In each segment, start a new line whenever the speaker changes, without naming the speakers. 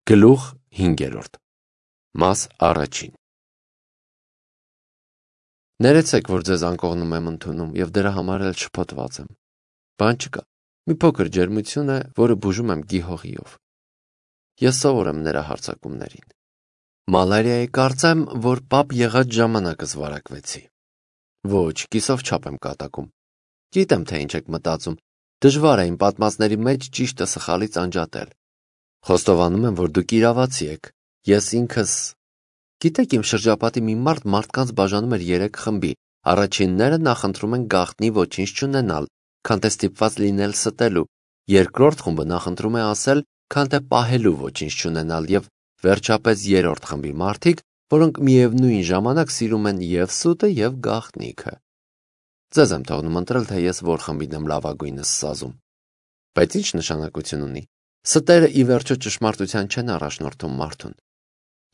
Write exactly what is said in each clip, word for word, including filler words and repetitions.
Գլուխ հինգերորդ Մաս առաջին Ներեցեք, որ ձեզ անկողնում եմ ընդունում և դրա համար էլ շփոթված եմ։ Բան չկա, մի փոքր ջերմություն է, որը բուժում եմ գիհողիով։ Ես սովոր եմ նրա հարձակումներին։ Մալարիայի կարծեմ, որ պապ եղած ժամանակս վարակվեցի։ Ոչ, կիսով չափ եմ կատակում։ Գիտեմ, թե ինչ եք մտածում, դժվար է իմ պատմածների մեջ ճիշտը սխալից անջատել։ Խոստովանում եմ, որ դուք իրավացի եք, ես ինքս… Գիտեք, իմ շրջապատի մի մարդ մարդկանց բաժանում էր երեք խմբի, առաջինները նախընտրում են գաղտնի ոչինչ չունենալ, քան թե ստիպված լինել ստելու, երկրորդ խումբը նախընտրում է ասել, քան թե պահելու ոչինչ չունենալ և վերջապես երրորդ խմբի մարդիկ, որոնք միևնույն ժամանակ սիրում են և սուտը և գաղտնիքը։ Ձեզ եմ թողնում ընտրել, թե ես որ խմբին եմ լավագույնս սազում։ Բայց ինչ նշանակություն ունի։ Ստերը ի վերջո ճշմարտության չեն առաջնորդում մարդուն։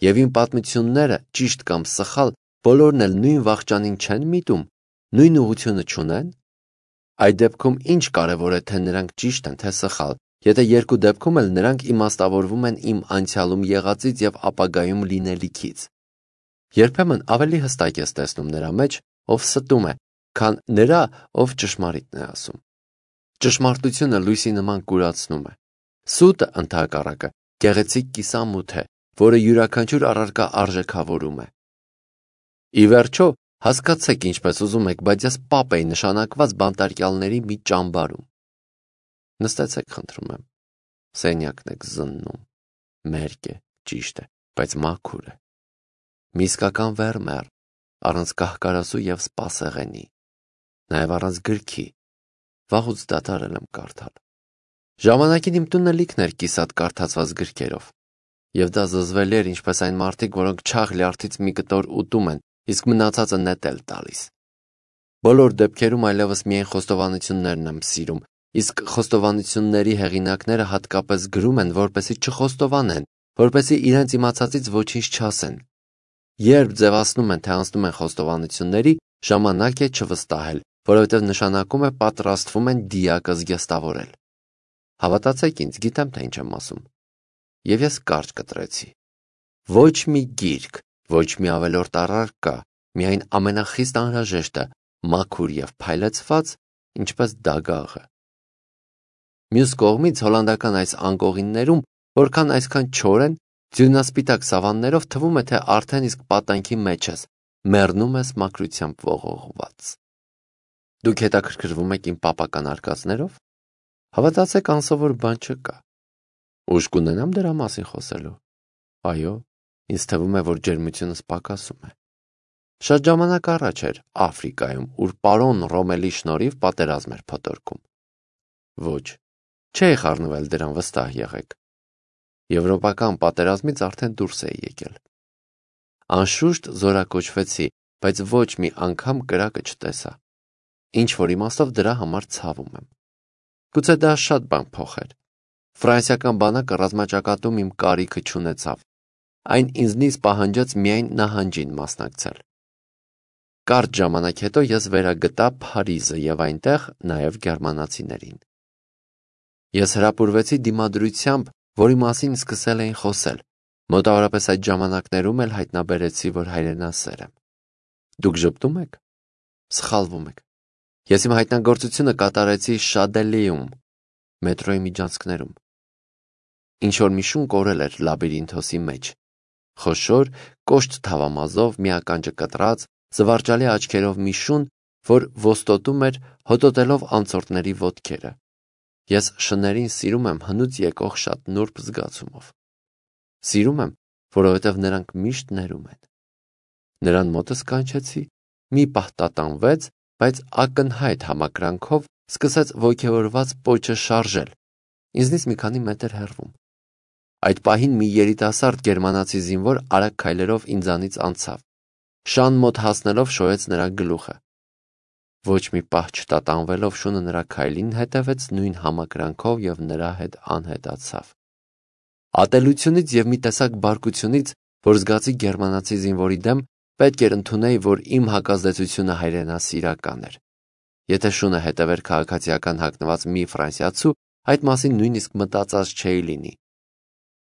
Եվ իմ պատմությունները, ճիշտ կամ սխալ, բոլորն էլ նույն վախճանին չեն միտում, նույն ուղղությունը չունեն։ Այդ դեպքում ինչ կարևոր է, թե նրանք ճիշտ են, թե սխալ, եթե երկու դեպքում էլ նրանք իմաստավորվում են իմ անցյալում եղածից և ապագայում լինելիքից։ Երբեմն ավելի հստակ ես տեսնում նրա մեջ, ով ստում է, քան նրա, ով ճշմարիտն է ասում։ Ճշմարտությունը լույսի նման կուրացնում է։ Սուտը, ընդհակառակը, գեղեցիկ կիսամութ է, որը յուրաքանչյուր առարկա արժեքավորում է։ Ի վերջո, հասկացեք ինչպես ուզում եք, բայց ես պապ էի նշանակված բանտարկյալների մի ճամբարում։ Նստեցեք, խնդրում եմ։ Սենյակն եք զննում։ Մերկ է, ճիշտ է, բայց մաքուր է։ Մի իսկական վերմեռ, առանց կահկարասու և սպասեղենի, նաև առանց գրքի։ Վաղուց դադարել եմ կարդալ։ Ժամանակին իմ տունը լիքն էր կիսատ կարդացված գրքերով, և դա զզվելի էր ինչպես այն մարդիկ, որոնք չաղ լյարդից մի կտոր ուտում են, իսկ մնացածը նետել տալիս։ Բոլոր դեպքերում այլևս միայն խոստովանություններն եմ սիրում, իսկ խոստովանությունների հեղինակները հատկապես գրում են, որպեսզի չխոստովանեն, որպեսզի իրենց իմացածից ոչինչ չասեն։ Երբ ձևացնում են, թե անցնում են խոստովանությունների, ժամանակ է չվստահել, որովհետև նշանակում է պատրաստվում են դիակը զգեստավորել։ Հավատացեք ինձ, գիտեմ, թե ինչ եմ ասում։ Եվ ես կարճ կտրեցի։ Ոչ մի գիրք, ոչ մի ավելորդ առարկա, միայն ամենախիստ անհրաժեշտը, մաքուր և փայլեցված, ինչպես դագաղը։ Մյուս կողմից հոլանդական այս անկողիններում, որքան այսքան չոր են, ձյունասպիտակ սավաններով թվում է, թե արդեն իսկ պատանքի մեջ ես, մեռնում ես մաքրությամբ ողողված։ Դուք հետաքրքրվում եք իմ պապական արկածներով։ Հավատացեք, անսովոր բան չկա։ Ուժ կունենամ դրա մասին խոսելու։ Այո, ինձ թվում է, որ ջերմությունս պակասում է։ Շատ ժամանակ առաջ էր Աֆրիկայում, ուր պարոն Ռոմելի շնորհիվ պատերազմ էր փոթորկում։ Ոչ, չէի խառնվել դրան, վստահ եղեք։ Եվրոպական պատերազմից արդեն դուրս էի եկել։ Անշուշտ զորակոչվեցի, բայց ոչ մի անգամ կրակը չտեսա։ Ինչ որ իմաստով դրա համար ցավում եմ։ Գուցե դա շատ բան փոխեր։ Ֆրանսիական բանակը ռազմաճակատում իմ կարիքը չունեցավ։ Այն ինձնից պահանջեց միայն նահանջին մասնակցել։ Կարճ ժամանակ հետո ես վերագտա Փարիզը և այնտեղ նաև գերմանացիներին։ Ես հրապուրվեցի դիմադրությամբ, որի մասին սկսել էին խոսել։ Մոտավորապես այդ ժամանակներում էլ հայտնաբերեցի, որ հայրենասեր եմ։ Դուք ժպտում եք։ Սխալվում եք։ Ես իմ հայտնագործությունը կատարեցի Շադելիում, մետրոյի միջանցքներում։ Ինչ-որ մի շուն կորել էր լաբիրինթոսի մեջ։ Խոշոր, կոշտ թավամազով, մի ականջը կտրած, զվարճալի աչքերով մի շուն, որ ոստոտում էր, հոտոտելով անցորդների ոտքերը։ Ես շներին սիրում եմ հնուց եկող շատ նուրբ զգացումով։ Սիրում եմ, որովհետև նրանք միշտ ներում են։ Նրան մոտս կանչեցի, մի պահ տատանվեց, բայց ակնհայտ համակրանքով սկսեց ոգևորված պոչը շարժել, ինձնից մի քանի մետր հեռվում։ Այդ պահին մի երիտասարդ գերմանացի զինվոր արագ քայլերով ինձանից անցավ։ Շան մոտ հասնելով շոյեց նրա գլուխը։ Ոչ մի պահ չտատանվելով շունը նրա քայլին հետևեց նույն համակրանքով և նրա հետ անհետացավ։ Ատելությունից և մի տեսակ բարկությունից, որ զգացի գերմանացի զինվորի դեմ, պետք էր ընդունեի, որ իմ հակազդեցությունը հայրենասիրական էր։ Եթե շունը հետևեր քաղաքացիական հագնված մի ֆրանսիացու, այդ մասին նույնիսկ մտածած չէի լինի։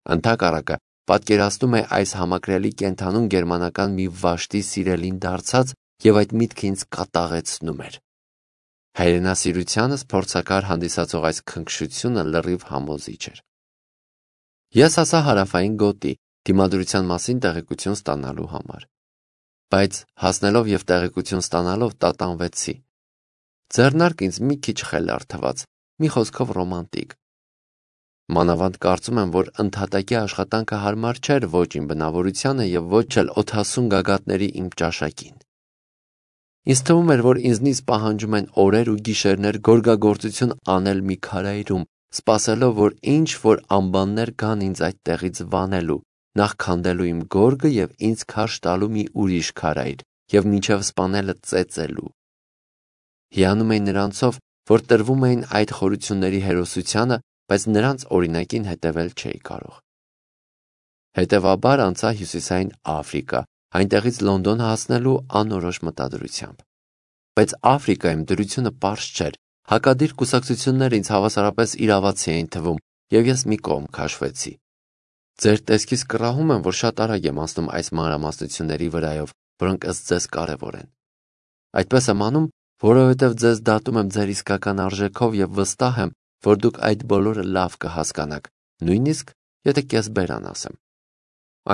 Ընդհակառակը, պատկերացնում է այս համակրելի կենդանուն գերմանական մի վաշտի սիրելին դարձած և այդ միտքը ինձ կատաղեցնում էր։ Հայրենասիրությանս փորձակար հանդիսացող այս քնքշությունը լրիվ համոզիչ էր։ Ես հասա հարավային գոտի դիմադրության մասին տեղեկություն ստանալու համար, բայց հասնելով և տեղեկություն ստանալով տատանվեցի։ Ձեռնարկը ինձ մի քիչ խելառ թվաց, մի խոսքով ռոմանտիկ։ Մանավանդ կարծում եմ, որ ընդհատակի աշխատանքը հարմար չէր ոչ իմ բնավորությանը և ոչ էլ օդասուն գագաթների իմ ճաշակին։ Ինձ թվում էր, որ ինձնից պահանջում են օրեր ու գիշերներ գորգագործություն անել մի քարայրում, սպասելով, որ ինչ-որ անբաններ գան ինձ այդ տեղից վանելու, նախ քանդելու իմ գորգը և ինձ քարշ տալու մի ուրիշ քարայր և մինչև սպանելը ծեծելու։ Հիանում էի նրանցով, որ տրվում էին այդ խորությունների հերոսությանը, բայց նրանց օրինակին հետևել չէի կարող։ Հետևաբար անցա Հյուսիսային Աֆրիկա, այնտեղից Լոնդոն հասնելու անորոշ մտադրությամբ։ Բայց Աֆրիկայում դրությունը պարզ չէր, հակադիր կուսակցությունները ինձ հավասարապես իրավացի էին թվում, և ես մի կողմ քաշվեցի։ Ձեր տեսքից կռահում եմ, որ շատ արագ եմ անցնում այս մանրամասնությունների վրայով, որոնք ըստ ձեզ կարևոր են։ Այդպես եմ անում, որովհետև ձեզ դատում եմ ձեր իսկական արժեքով և վստահ եմ, որ դուք այդ բոլորը լավ կհասկանաք, նույնիսկ եթե կեսբերան ասեմ։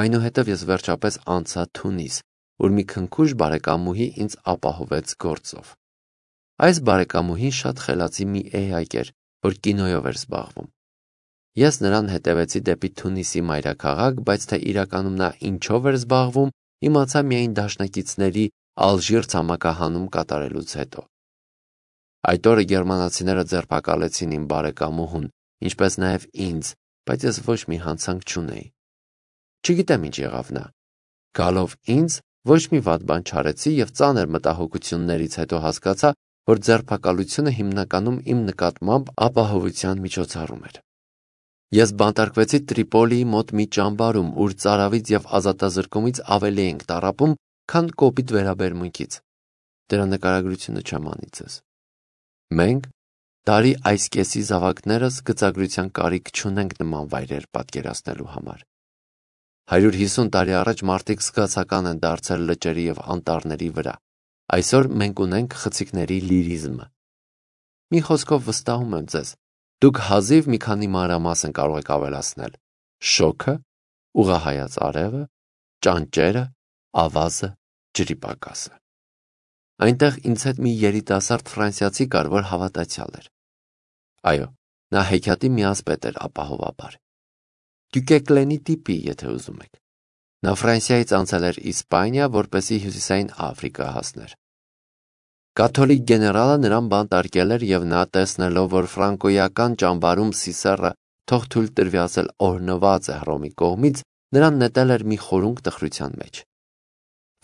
Այնուհետև ես վերջապես անցա Թունիս, ուր մի քնքուշ բարեկամուհի ինձ ապահովեց գործով։ Այս բարեկամուհին շատ խելացի մի էակ էր, որ կինոյով էր զբաղվում։ Ես նրան հետևեցի դեպի Թունիսի մայրաքաղաք, բայց թե իրականում նա ինչով էր զբաղվում, իմացա միայն դաշնակիցների Ալժիր ցամաքահանում կատարելուց հետո։ Այդ օրը գերմանացիները ձերբակալեցին իմ բարեկամուհուն, ինչպես նաև ինձ, բայց ես ոչ մի հանցանք չունեի։ Չգիտեմ ինչ եղավ նա։ Գալով ինձ, ոչ մի վատ բան չարեցի և ծանր մտահոգություններից հետո հասկացա, որ ձերբակալությունը հիմնականում իմ նկատմամբ ապահովության միջոցառում էր։ Ես բանտարկվեցի Տրիպոլիի մոտ մի ճամբարում, ուր ծարավից և ազատազրկումից ավելի էինք տառապում, քան կոպիտ վերաբերմունքից։ Դրա նկարագրությունը չեմ անի ձեզ։ Մենք, տարի այս կեսի զավակներս, գծագրության կարիք չունենք նման վայրեր պատկերացնելու համար։ Հարյուր հիսուն տարի առաջ մարդիկ զգացական են դարձել լճերի և անտառների վրա։ Այսօր մենք ունենք խցիկների լիրիզմը։ Մի խոսքով վստահում եմ ձեզ, դուք հազիվ մի քանի մանրամասն կարող եք ավելացնել. շոգը, ուղղահայաց արևը, ճանճերը, ավազը, ջրի պակասը։ Այնտեղ ինձ հետ մի երիտասարդ ֆրանսիացի կար, որ հավատացյալ էր։ Այո, նա հեքիաթի միասպետ էր ապահովաբար։ Դյուկեկլենի տիպի, եթե ուզում եք։ Նա Ֆրանսիայից անցել էր Իսպանիա, որպեսզի Հյուսիսային Աֆրիկա հասներ։ Կաթոլիկ գեներալը նրան բանտարկել էր և նա, տեսնելով, որ ֆրանկոյական ճամբարում Սիսեռը թող թույլ տրվի ասել օրհնված է Հռոմի կողմից, նրան նետել էր մի խորունկ տխրության մեջ։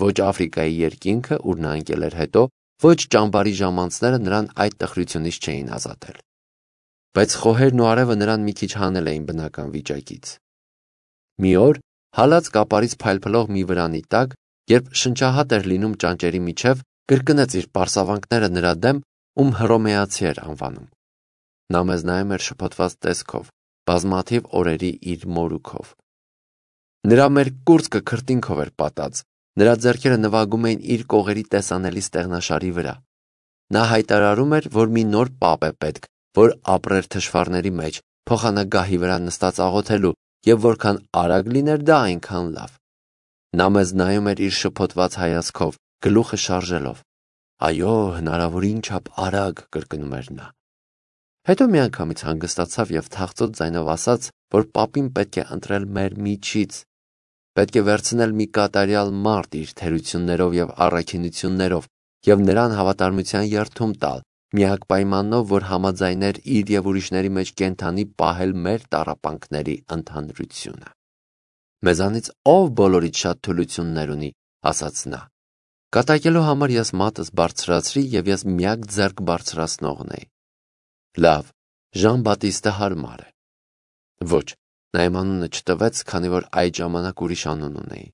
Ոչ Աֆրիկայի երկինքը, ուր նա ընկել էր հետո, ոչ ճամբարի ժամանցները նրան այդ տխրությունից չէին ազատել։ Բայց խոհերն ու արևը նրան մի քիչ հանել էին բնական վիճակից։ Մի օր, հալած կապարից փայլփլող մի վրանի տակ, երբ շնչահատ էր լինում ճանճերի միջև, կրկնեց իր պարսավանքները նրա դեմ, ում հռոմեացի էր անվանում։ Նա մեզ նայում էր շփոթված տեսքով, բազմաթիվ օրերի իր մորուքով։ Նրա մեր կուրծքը քրտինքով էր պատած, նրա ձեռքերը նվագում էին իր կողերի տեսանելի ստեղնաշարի վրա։ Նա հայտարարում էր, որ մի նոր պապ է պետք, որ ապրեր թշվառների մեջ, փոխանագահի վրա նստած աղոթելու, և որքան արագ լիներ դա, այնքան լավ։ Նա մեզ նայում էր իր շփոթված հայացքով, գլուխը շարժելով։ Այո, հնարավորին չափ արագ, կրկնում էր նա։ Հետո միանգամից հանգստացավ և թախծոտ ձայնով ասաց, որ պապին պետք է ընտրել մեր միջից, պետք է վերցնել մի կատարյալ մարդ իր թերություններով և առաքինություններով և նրան հավատարմության երդում տալ, միակ պայմանով, որ համաձայներ իր և ուրիշների մեջ կենդանի պահել մեր տառապանքների ընդհանրությունը։ Մեզանից ով բոլորից շատ թուլություններ ունի, ասաց նա։ Կատակելու համար ես մատս բարձրացրի և ես միակ ձեռք բարձրացնողն էի։ Լավ, Ժան Բատիստը հարմար է։ Ոչ, նա իմ անունը չտվեց, քանի որ այդ ժամանակ ուրիշ անուն ունեի։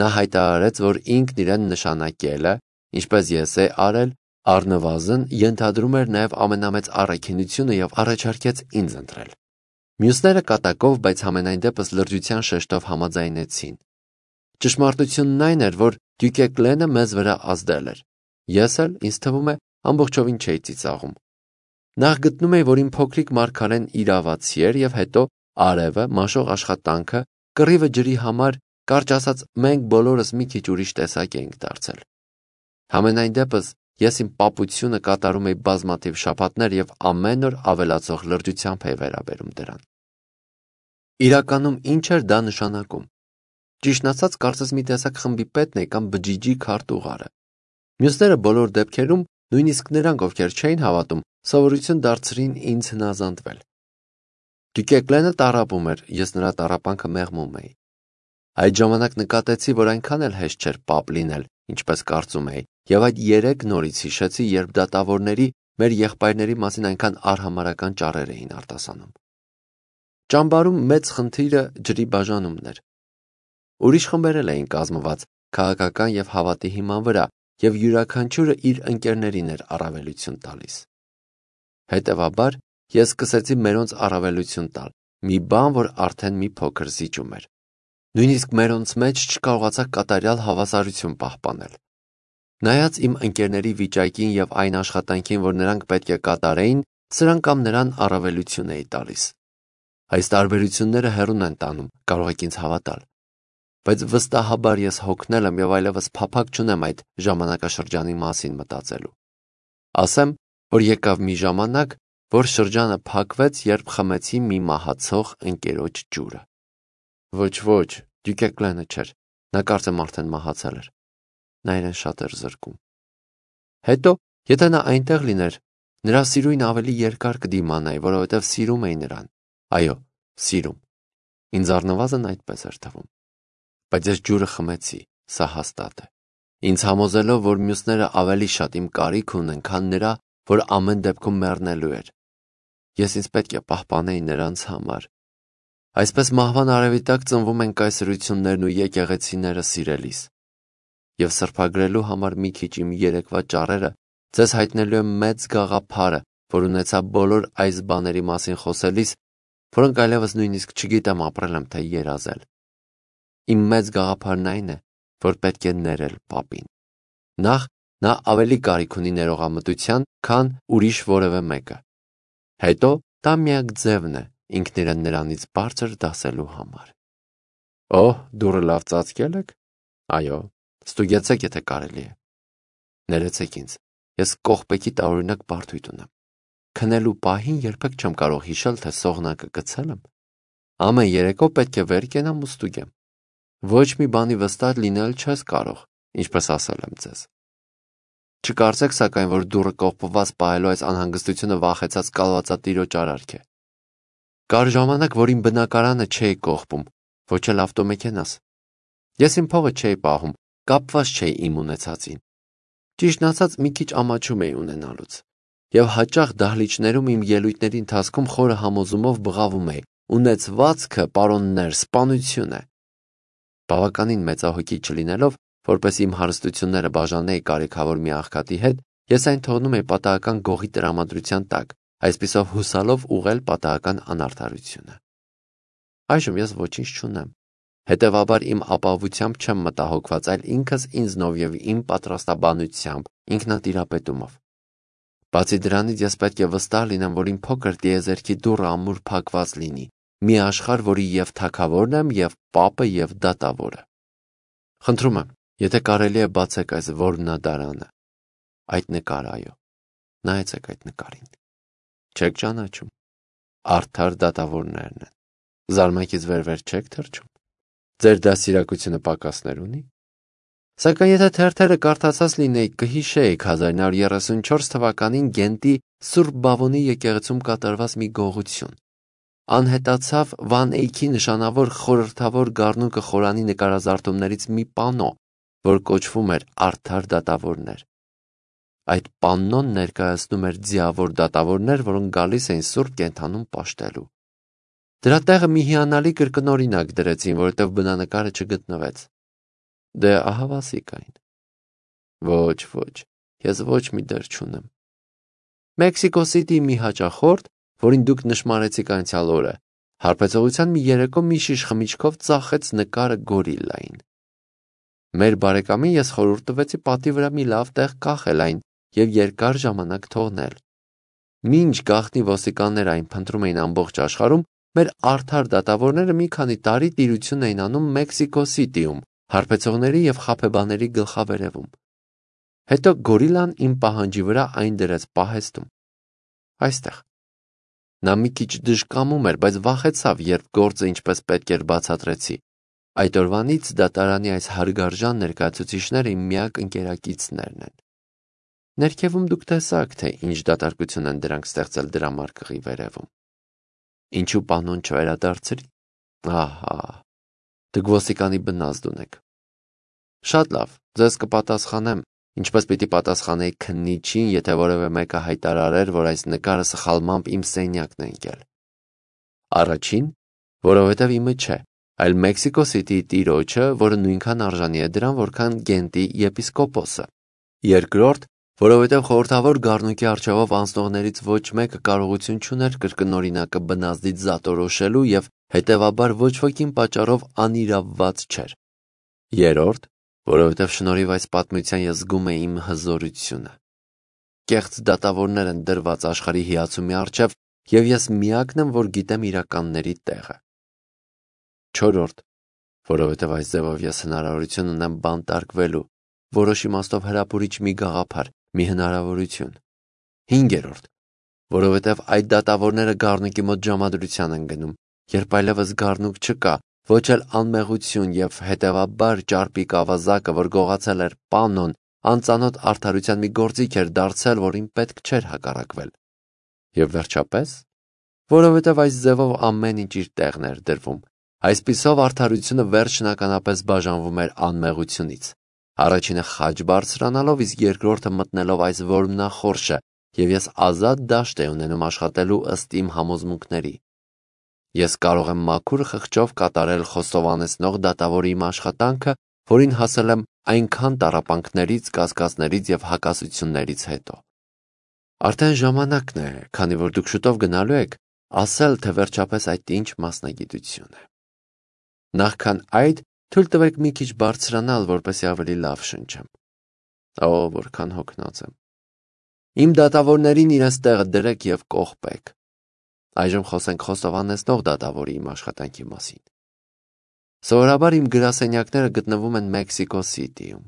Նա հայտարարեց, որ ինքն իրեն նշանակել է, ինչպես ես է արել, առնվազն ենթադրում էր նաև ամենամեծ առաքինությունը և առաջարկեց ինձ ընտրել։ Մյուսները կատակով, բայց համենայն դեպս լրջության շեշտով համաձայնեցին։ Ճշմարտությունն այն էր, որ Դյուկեկլենը մեզ վրա ազդել էր։ Ես էլ, ինձ թվում է, ամբողջովին չէի ծիծաղում։ Նախ գտնում էի, որ իմ փոքրիկ մարգարեն իրավացի էր, եւ հետո արևը, մաշող աշխատանքը, կռիվը ջրի համար, կարճ ասած, մենք բոլորս մի քիչ ուրիշ տեսակ էինք դարձել։ Համենայն դեպս ես իմ պապությունը կատարում էի բազմաթիվ շաբաթներ եւ ամեն օր ավելացող լրջությամբ էի վերաբերում դրան։ Իրականում ինչ էր դա նշանակում։ Ճիշտն ասած, կարծես մի տեսակ խմբի պետն է կամ բջիջի քարտուղարը։ Մյուսները բոլոր դեպքերում, նույնիսկ նրանք, ովքեր չէին հավատում, սովորություն դարձրին ինձ հնազանդվել։ Դյուկեկլենը տառապում էր, ես նրա տառապանքը մեղմում էի։ Այդ ժամանակ նկատեցի, որ այնքան էլ հեշտ չէր պապ լինել, ինչպես կարծում էի, եւ այդ երեք նորից հիշեցի, երբ դատավորների մեր եղբայրների մասին այնքան արհամարհական ճառեր էին արտասանում։ Ճամբարում մեծ խնդիրը ջրի բաժանումն էր։ Ուրիշ խմբեր էլ էին կազմված քաղաքական եւ հավատի հիման վրա, եւ յուրաքանչյուրը իր ընկերներին էր առավելություն տալիս։ Հետևաբար ես սկսեցի մերոնց առավելություն տալ, մի բան, որ արդեն մի փոքր զիջում էր։ Նույնիսկ մերոնց մեջ չկարողացա կատարյալ հավասարություն պահպանել։ Նայած իմ ընկերների վիճակին եւ այն աշխատանքին, որ նրանք պետք է կատարեին, սրան կամ նրան առավելություն էի տալիս։ Այս տարբերությունները հեռուն են տանում, կարող եք ինձ հավատալ։ Բայց վստահաբար ես հոգնել եմ եւ այլևս փափակ չունեմ այդ ժամանակաշրջանի մասին մտածելու։ Ասեմ, որ եկավ մի ժամանակ, որ շրջանը փակվեց, երբ խմեցի մի մահացող ընկերոջ ջուրը։ Ոչ, ոչ, Դյուկեկլենը չէր, նա կարծեմ արդեն մահացել էր։ Նա իրեն շատ էր զրկում։ Հետո, եթե նա այնտեղ լիներ, նրա սիրույն ավելի երկար կդիմանայի, որովհետև սիրում էի նրան։ Այո, սիրում։ Ինձ առնվազն այդպես էր թվում։ Բայց ես ջուրը խմեցի, սա հաստատ է։ Ինձ համոզելով, որ մյուսները ավելի շատ իմ կարիք ունեն, քան նրա, որ ամեն դեպքում մեռնելու էր։ Ես ինձ պետք է պահպանեի նրանց համար։ Այսպես մահվան արևի տակ ծնվում են կայսրություններն ու եկեղեցիները սիրելիս։ Եվ սրբագրելու համար մի քիչ իմ երեկվա ճառերը ձեզ հայտնելու եմ մեծ գաղափարը, որ ունեցա բոլոր այս բաների մասին խոսելիս, որոնք այլևս նույնիսկ չգիտեմ ապրել եմ թե երազել։ Իմ մեծ գաղափարն այն է, որ պետք է ներել պապին։ Նախ նա ավելի կարիք ունի ներողամտության, քան ուրիշ որևէ մեկը։ Հետո դա միակ ձևն է ինքն իրեն նրանից բարձր դասելու համար։ Օհ, դուռը լավ ծածկել եք։ Այո, ստուգեցեք, եթե կարելի է։ Ներեցեք ինձ, ես կողպեքի տարօրինակ բարդույթ ունեմ։ Քնելու պահին երբեք չեմ կարող հիշել, թե սողնակը գցել եմ։ Ամեն երեկո պետք է վեր կենամ ու ստուգեմ։ Ոչ մի բանի վստահ լինել չես կարող, ինչպես ասել եմ ձեզ։ Չկարծեք սակայն, որ դուռը կողպված պահելու այս անհանգստությունը վախեցած կալվածատիրոջ արարք է։ Կար ժամանակ, որ իմ բնակարանը չէի կողպում, ոչ էլ ավտոմեքենաս։ Ես իմ փողը չէի պահում, կապված չէի իմ ունեցածին։ Ճիշտն ասած, մի քիչ ամաչում էի ունենալուց։ Եվ հաճախ դահլիճներում իմ ելույթների ընթացքում խորը համոզումով բղավում էի. ունեցվածքը, պարոններ, սպանություն է։ Բավականին մեծահոգի չլինելով, որպես իմ հարստությունները բաժանեի կարիքավոր մի աղքատի հետ, ես այն թողնում էի պատահական գողի տրամադրության տակ, այսպիսով հուսալով ուղղել պատահական անարդարությունը։ Այժմ ես ոչինչ չունեմ։ Հետևաբար իմ ապահովությամբ չեմ մտահոգված, այլ ինքս ինձնով եւ իմ պատրաստաբանությամբ, ինքնատիրապետումով։ Բացի դրանից ես պետք է վստահ լինեմ, որ իմ փոքր տիեզերքի դուռը ամուր փակված լինի, մի աշխարհ, որի եւ թագավորն եմ, եւ պապը, եւ դատավորը։ Խնդրում եմ, եթե կարելի է բացեք այս որմնադարանը։ Այդ նկարը, այո։ Նայեցեք այդ նկարին։ Չեք ճանաչում։ Արդար դատավորներն են։ Զարմակից վեր-վեր չեք թռչում։ Ձեր դաստիարակությունը պակասներ ունի։ Սակայն եթե թերթերը կարդացած լինեիք, կհիշեիք հազար նոր երեսունչորս թվականին Գենտի Սուրբ Բավոնի եկեղեցում կատարված մի գողություն։ Անհետացավ Վան Էյքի նշանավոր խորհրդավոր գառնուկը խորանի նկարազարդումներից մի պանո, որ կոչվում էր Արդար դատավորներ։ Այդ պաննոն ներկայացնում էր ձիավոր դատավորներ, որոնք գալիս էին Սուրբ Կենդանում պաշտելու։ Դրա տեղը մի հիանալի կրկնօրինակ դրեցին, որովհետև բնանկարը չգտնվեց։ Դե ահավասիկ այն։ Ոչ, ոչ, ես ոչ մի դեր չունեմ։ Մեքսիկո Սիթիի մի հաճախորդ, որին դուք նշմարեցիք անցյալ օրը, Հարբեցողության մի երեկո մի շիշ խմիչքով ծախեց նկարը գորիլային։ Մեր բարեկամին ես խորհուրդ տվեցի պատի վրա մի լավ տեղ կախել այն և երկար ժամանակ թողնել։ Մինչ գաղտնի ոստիկանները այն փնտրում էին ամբողջ աշխարհում, մեր արդար դատավորները մի քանի տարի տիրություն էին անում Մեքսիկո Սիթիում, հարբեցողների և խաբեբաների գլխավերևում։ Հետո գորիլան իմ պահանջի վրա այն դրեց պահեստում։ Այստեղ։ Նա մի քիչ դժկամում էր, բայց վախեցավ, երբ գործը ինչպես պետք էր բացատրեցի։ Այդ օրվանից դատարանի այս հարգարժան ներկայացուցիչները իմ միակ ընկերակիցներն են։ Ներքևում դուք տեսաք, թե ինչ դատարկություն են դրանք ստեղծել դրամարկղի վերևում։ Ինչու պանոն չվերադարձրի։ Ահա, դուք ոստիկանի բնազդ ունեք։ Շատ լավ, ձեզ կպատասխանեմ, ինչպես պիտի պատասխանեի քննիչին, եթե որևէ մեկը հայտարարեր, որ այս նկարը սխալմամբ իմ սենյակն է ընկել։ Առաջին, որովհետև իմը չէ, այլ Մեքսիկո Սիթիի տիրոջը, որը նույնքան արժանի է դրան, որքան Գենտի եպիսկոպոսը։ Երկրորդ, որովհետև խորհրդավոր գառնուկի առջևով անցնողներից ոչ մեկը կարողություն չուներ կրկնօրինակը բնազդից զատորոշելու և հետևաբար ոչ ոքին պատճառով անիրավված չէր։ Երրորդ, որովհետև շնորհիվ այս պատմության ես զգում էի իմ հզորությունը։ Կեղծ դատավորներ են դրված աշխարհի հիացումի առջև, և ես միակն եմ, որ գիտեմ իրականների տեղը։ Չորրորդ, որովհետև այս ձևով ես հնարավորություն ունեմ բանտարկվելու, որոշ իմաստով հրապուրիչ մի գաղափար, մի հնարավորություն։ Հինգերորդ, որովհետև այդ դատավորները գառնուկի մոտ ժամադրության են գնում, երբ այլևս գառնուկ չկա, ոչ էլ անմեղություն և հետևաբար ճարպիկ ավազակը, որ գողացել էր պանոն, անծանոթ արդարության մի գործիք էր դարձել, որին պետք չէր հակառակվել։ Եվ վերջապես, որովհետև այս ձևով ամեն ինչ իր տեղն էր դրվում, այսպիսով արդարությունը վերջնականապես բաժանվում էր անմեղությունից։ Առաջինը խաչ բարձրանալով, իսկ երկրորդը մտնելով այս որմնախորշը, և ես ազատ դաշտ էի ունենում աշխատելու ըստ իմ համոզմունքների։ Ես կարող եմ մաքուր խղճով կատարել խոստովանեցնող դատավորի իմ աշխատանքը, որին հասել եմ այնքան տառապանքներից, կասկածներից և հակասություններից հետո։ Արդեն ժամանակն է, քանի որ դուք շուտով գնալու եք, ասել, թե վերջապես այդ ինչ մասնագիտություն է։ Նախքան այդ, թույլ տվեք մի քիչ բարձրանալ, որպեսզի ավելի լավ շնչեմ։ Օ, որքան հոգնած եմ։ Իմ դատավորներին իրենց տեղը դրեք և կողպեք։ Այժմ խոսենք խոստովանեցնող դատավորի իմ աշխատանքի մասին։ Սովորաբար իմ գրասենյակները գտնվում են Մեքսիկո Սիթիում,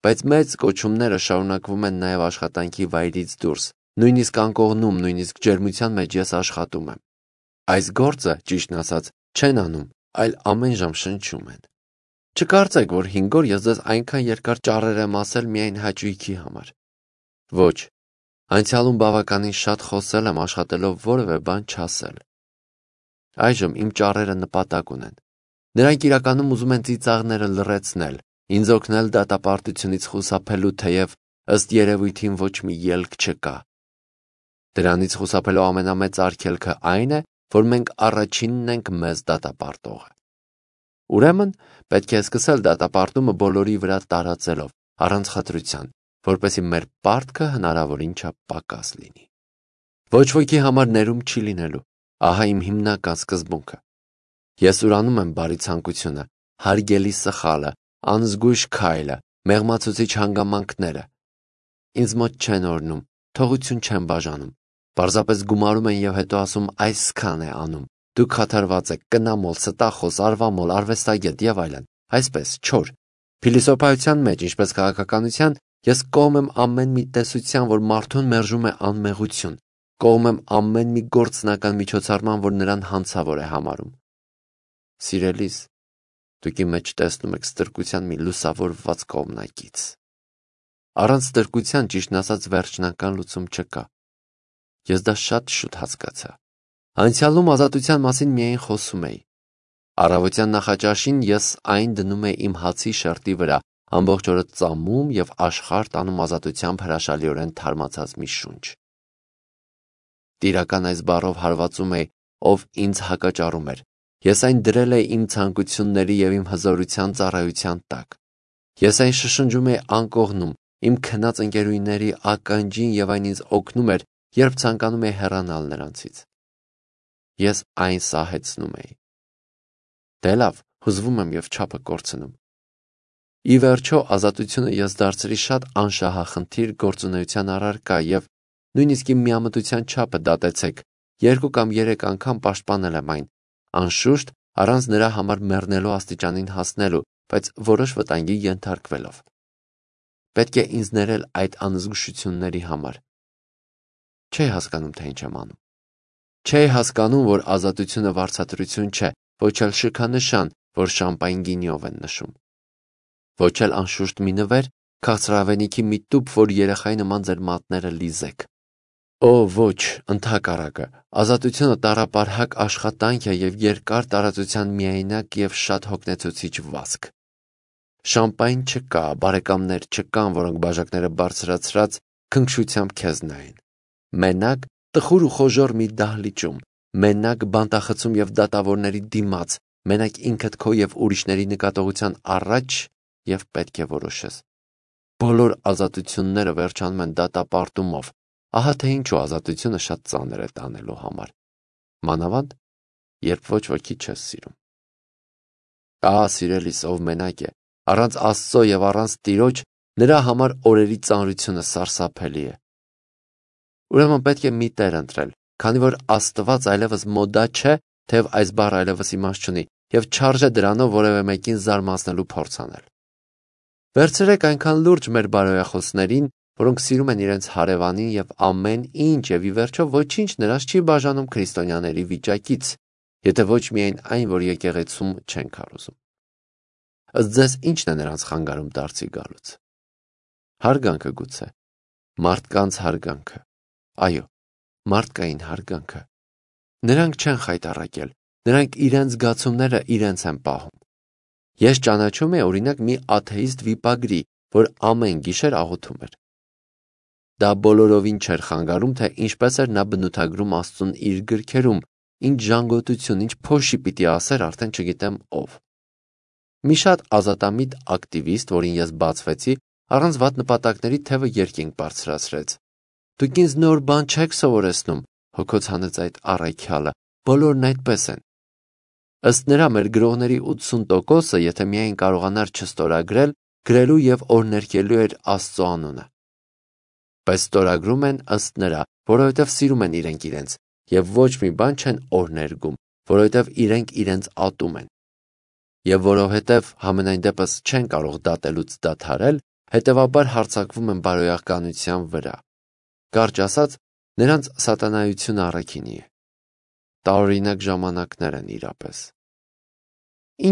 բայց մեծ կոչումները շարունակվում են նաև աշխատանքի վայրից դուրս, նույնիսկ անկողնում, նույնիսկ ջերմության մեջ ես աշխատում եմ։ Այս գործը, ճիշտն ասած, չեն անում, այլ ամեն ժամ շնչում են։ Չկարծեք, որ հինգ օր ես ձեզ այնքան երկար ճառեր եմ ասել միայն հաճույքի համար։ Ոչ, անցյալում բավականին շատ խոսել եմ աշխատելով որևէ բան չասել։ Այժմ իմ ճառերը նպատակ ունեն։ Նրանք իրականում ուզում են ծիծաղները լռեցնել, ինձ օգնել դատապարտությունից խուսափելու, թեև ըստ երևույթին ոչ մի ելք չկա։ Դրանից խուսափելու ամենամեծ արգելքը այն է, որ մենք առաջինն ենք մեզ դատապարտողը։ Ուրեմն, պետք է սկսել դատապարտումը բոլորի վրա տարածելով, առանց խտրության, որպեսզի մեր պարտքը հնարավորին չափ պակաս լինի։ Ոչ ոքի համար ներում չի լինելու, ահա իմ հիմնական սկզբունքը։ Ես ուրանում եմ բարի ցանկությունը, հարգելի սխալը, անզգույշ քայլը, մեղմացուցիչ հանգամանքները։ Ինձ մոտ չեն օրհնում, թողություն չեն բաժանում, պարզապես գումարում են և հետո ասում այսքան է անում, դուք խաթարված եք, կնամոլ, ստախոս, արվամոլ, արվեստագետ և այլն, այսպես, չոր։ Փիլիսոփայության մեջ, ինչպես քաղաքականության, ես կողմ եմ ամեն մի տեսության, որ մարդուն մերժում է անմեղություն, կողմ եմ ամեն մի գործնական միջոցառման, որ նրան հանցավոր է համարում։ Սիրելիս, դուք իմ մեջ տեսնում եք ստրկության մի լուսավորված կողմնակից։ Առանց ստրկության, ճիշտն ասած, վերջնական լուծում չկա։ Ես դա շատ շուտ հասկացա։ Անցյալում ազատության մասին միայն խոսում էի։ Առավոտյան նախաճաշին ես այն դնում էի իմ հացի շերտի վրա, ամբողջ օրը ծամում և աշխարհ տանում ազատությամբ հրաշալիորեն թարմացած մի շունչ։ Տիրական այս բառով հարվածում էի, ով ինձ հակաճառում էր։ Ես այն դրել էի իմ ցանկությունների և իմ հզորության ծառայության տակ։ Ես այն շշնջում էի անկողնում, իմ քնած ընկերուհիների ականջին և այն ինձ օգնում էր, երբ ցանկանում էի հեռանալ նրանցից։ ես այն սահեցնում էի։ Դե լավ, հուզվում եմ և չափը կորցնում։ Ի վերջո ազատությունը ես դարձրի շատ անշահախնդիր գործունեության առարկա և նույնիսկ իմ միամտության չափը դատեցեք, երկու կամ երեք անգամ պաշտպանել եմ այն, անշուշտ առանց նրա համար մեռնելու աստիճանին հասնելու, բայց որոշ վտանգի ենթարկվելով։ Պետք է ինձ ներել այդ անզգուշությունների համար։ Չէի հասկանում, թե ինչ եմ անում։ Չէի հասկանում, որ ազատությունը վարձատրություն չէ, ոչ էլ շքանշան, որ շամպայն գինիով են նշում։ Ոչ էլ անշուշտ մի նվեր, քաղցրավենիքի մի տուփ, որ երեխայի նման ձեր մատները լիզեք։ Օ, ոչ, ընդհակառակը, ազատությունը տառապարհակ աշխատանք է և երկար տարածության միայնակ և շատ հոգնեցուցիչ վազք։ Շամպայն չկա, բարեկամներ չկան, որոնք բաժակները բարձրացրած քնքշությամբ քեզ նայեն։ Մենակ տխուր ու խոժոռ մի դահլիճում, մենակ բանտախցում և դատավորների դիմաց, մենակ ինքդ քո և ուրիշների նկատողության առաջ և պետք է որոշես։ Բոլոր ազատությունները վերջանում են դատապարտումով, ահա թե ինչու ազատությունը շատ ծանր է տանելու համար, մանավանդ, երբ ոչ ոքի չես սիրում։ Ահա սիրելիս, ով մենակ է, առանց Աստծո և առանց Տիրոջ, նրա համար օրերի ծանրությունը սարսափելի է։ Ուրեմն պետք է մի տեր ընտրել, քանի որ Աստված այլևս մոդա չէ, թեև այս բառը այլևս իմաստ չունի, և չարժե դրանով որևէ մեկին զարմացնելու փորձ անել։ Վերցրեք այնքան լուրջ մեր բարոյախոսներին, որոնք սիրում են իրենց հարևանին և ամեն ինչ և ի վերջո ոչինչ նրանց չի բաժանում քրիստոնյաների վիճակից, եթե ոչ միայն այն, որ եկեղեցում չեն քարոզում։ Ըստ ձեզ ի՞նչն է նրանց խանգարում դարձի գալուց։ Հարգանքը գուցե, մարդկանց հարգանքը, այո, մարդկային հարգանքը։ Նրանք չեն խայտառակել, նրանք իրենց զգացումները իրենց են պահում։ Ես ճանաչում եմ օրինակ մի աթեիստ վիպագրի, որ ամեն գիշեր աղոթում էր։ Դա բոլորովին չէր խանգարում, թե ինչպես էր նա բնութագրում Աստծուն իր գրքերում, ինչ ժանգոտություն, ինչ փոշի պիտի ասեր, արդեն չգիտեմ ով։ Մի շատ ազատամիտ ակտիվիստ, որին ես բացվեցի, առանց վատ նպատակների թևը երկինք բարձրացրեց։ Դուք ինձ նոր բան չեք սովորեցնում, հոգոց հանեց այդ առաքյալը, բոլորն այդպես են։ Ըստ նրա մեր գրողների ութսուն տոկոսը, եթե միայն կարողանար չստորագրել, գրելու և օրհներգելու էր Աստծո անունը։ Բայց ստորագրում են ըստ նրա, որովհետև սիրում են իրենք իրենց, և ոչ մի բան չեն օրհներգում, որովհետև իրենք իրենց ատում են։ Եվ որովհետև համենայն դեպս չեն կարող դատելուց դադարել, հետևաբար հարձակվում են բարոյականության վրա։ Կարճ ասած, նրանց սատանայությունը առաքինի է։ Տարօրինակ ժամանակներ են իրապես։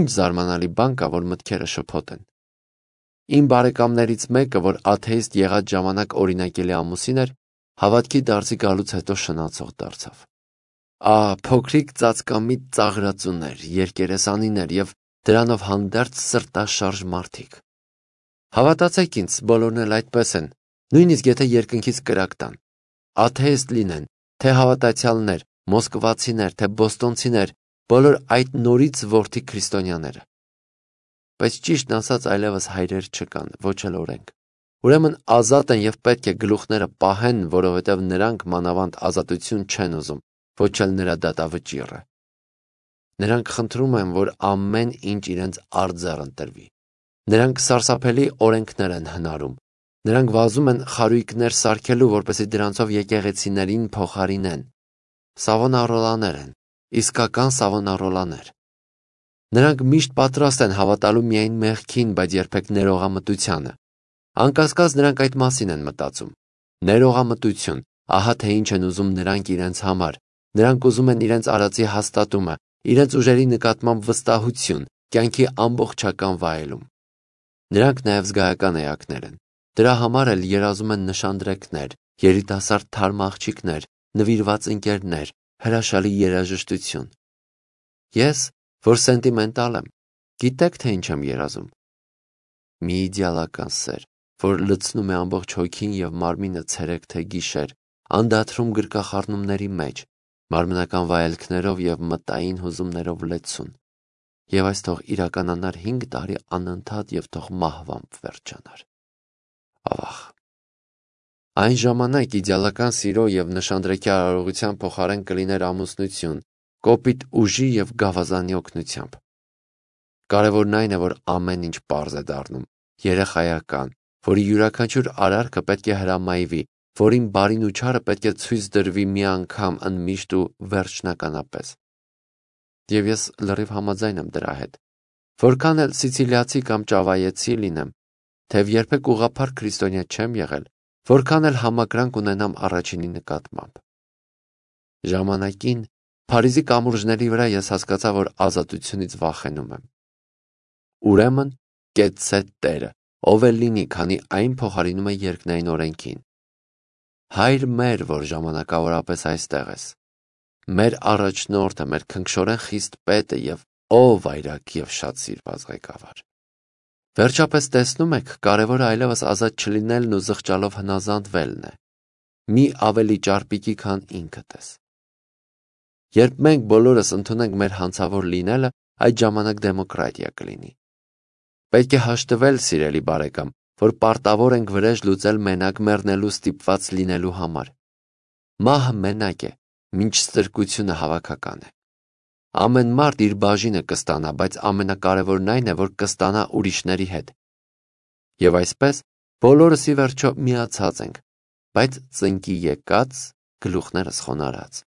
Ինչ զարմանալի բան կա, որ մտքերը շփոթ են։ Իմ բարեկամներից մեկը, որ աթեիստ եղած ժամանակ օրինակելի ամուսին էր, հավատքի դարձի գալուց հետո շնացող դարձավ։ Ահ, փոքրիկ ծածկամիտ ծաղրածուներ, երկերեսանիներ և դրանով հանդերձ սրտաշարժ մարդիկ։ Հավատացեք ինձ, բոլորն էլ այդպես են, նույնիսկ եթե երկնքից կրակ տան։ Աթեիստ լինեն, թե հավատացյալներ, մոսկվացիներ, թե բոստոնցիներ, բոլոր այդ նորից որդի քրիստոնյաները։ Բայց ճիշտն ասած այլևս հայրեր չկան, ոչ էլ օրենք։ Ուրեմն ազատ են և պետք է գլուխները պահեն, որովհետև նրանք մանավանդ ազատություն չեն ուզում, ոչ էլ նրա դատավճիռը։ Նրանք խնդրում են, որ ամեն ինչ իրենց արձեռ ընտրվի։ Նրանք սարսափելի օրենքներ են հնարում։ Նրանք վազում են խարույկներ սարքելու, որպեսզի դրանցով եկեղեցիներին փոխարինեն։ Սավոնարոլաներ են, իսկական սավոնարոլաներ։ Նրանք միշտ պատրաստ են հավատալու միայն մեղքին, բայց երբեք ներողամտությանը։ Անկասկած նրանք այդ մասին են մտածում։ Ներողամտություն, ահա թե ինչ են ուզում նրանք իրենց համար։ Նրանք ուզում են իրենց արածի հաստատումը, իրենց ուժերի նկատմամբ վստահություն, կյանքի ամբողջական վայելում։ Նրանք նաև զգայական էակներ են։ Դրա համար էլ երազում են նշանդրեկներ, երիտասարդ թարմ աղջիկներ, նվիրված ընկերներ, հրաշալի երաժշտություն։ Ես, որ սենտիմենտալ եմ, գիտեք, թե ինչ եմ երազում։ Մի իդեալական սեր, որ լցնում է ամբողջ հոգին և մարմինը ցերեկ թե գիշեր, անդադրում գրկախառնումների մեջ, մարմնական վայելքներով և մտային հուզումներով լեցուն։ Եվ այս թող իրականանար հինգ տարի անընդհատ և թող մահվամբ վերջանար։ Ավաղ։ Այն ժամանակ իդեալական սիրո և նշանդրեկի արարողության փոխարեն կլիներ ամուսնություն, կոպիտ ուժի և գավազանի օգնությամբ։ Կարևորն այն է, որ ամեն ինչ պարզ է դառնում, երեխայական, որի յուրաքանչյուր արարքը պետք է հրամայվի, որին բարին ու չարը պետք է ցույց դրվի մի անգամ ընդմիշտ ու վերջնականապես։ Եվ ես լրիվ համաձայն եմ դրա հետ։ Որքան էլ սիցիլիացի կամ ճավայեցի լինեմ, թեև երբեք ուղղափառ քրիստոնյա չեմ եղել, որքան էլ համակրանք ունենամ առաջինի նկատմամբ։ Ժամանակին Փարիզի կամուրջների վրա ես հասկացա, որ ազատությունից վախենում եմ։ Ուրեմն կեցցե Տերը, ով էլ լինի, քանի այն փոխարինում է երկնային օրենքին։ Հայր մեր, որ ժամանակավորապես այստեղ ես, մեր առաջնորդը, մեր քնքշորեն խիստ պետը և ով վայրագ և շատ սիրված ղեկավար։ Վերջապես տեսնում եք, կարևորը այլևս ազատ չլինելն ու զղջալով հնազանդվելն է։ Մի ավելի ճարպիկի, քան ինքդ ես։ Երբ մենք բոլորս ընդունենք մեր հանցավոր լինելը, այդ ժամանակ դեմոկրատիա կլինի։ Պետք է հաշտվել, սիրելի բարեկամ, որ պարտավոր ենք վրեժ լուծել մենակ մեռնելու ստիպված լինելու համար։ Մահը մենակ է, մինչ ստրկությունը հավաքական է։ Ամեն մարդ իր բաժինը կստանա, բայց ամենակարևորն այն է, որ կստանա ուրիշների հետ։ Եվ այսպես բոլորս ի վերջո միացած ենք, բայց ծնկի եկած, գլուխներս խոնարհած։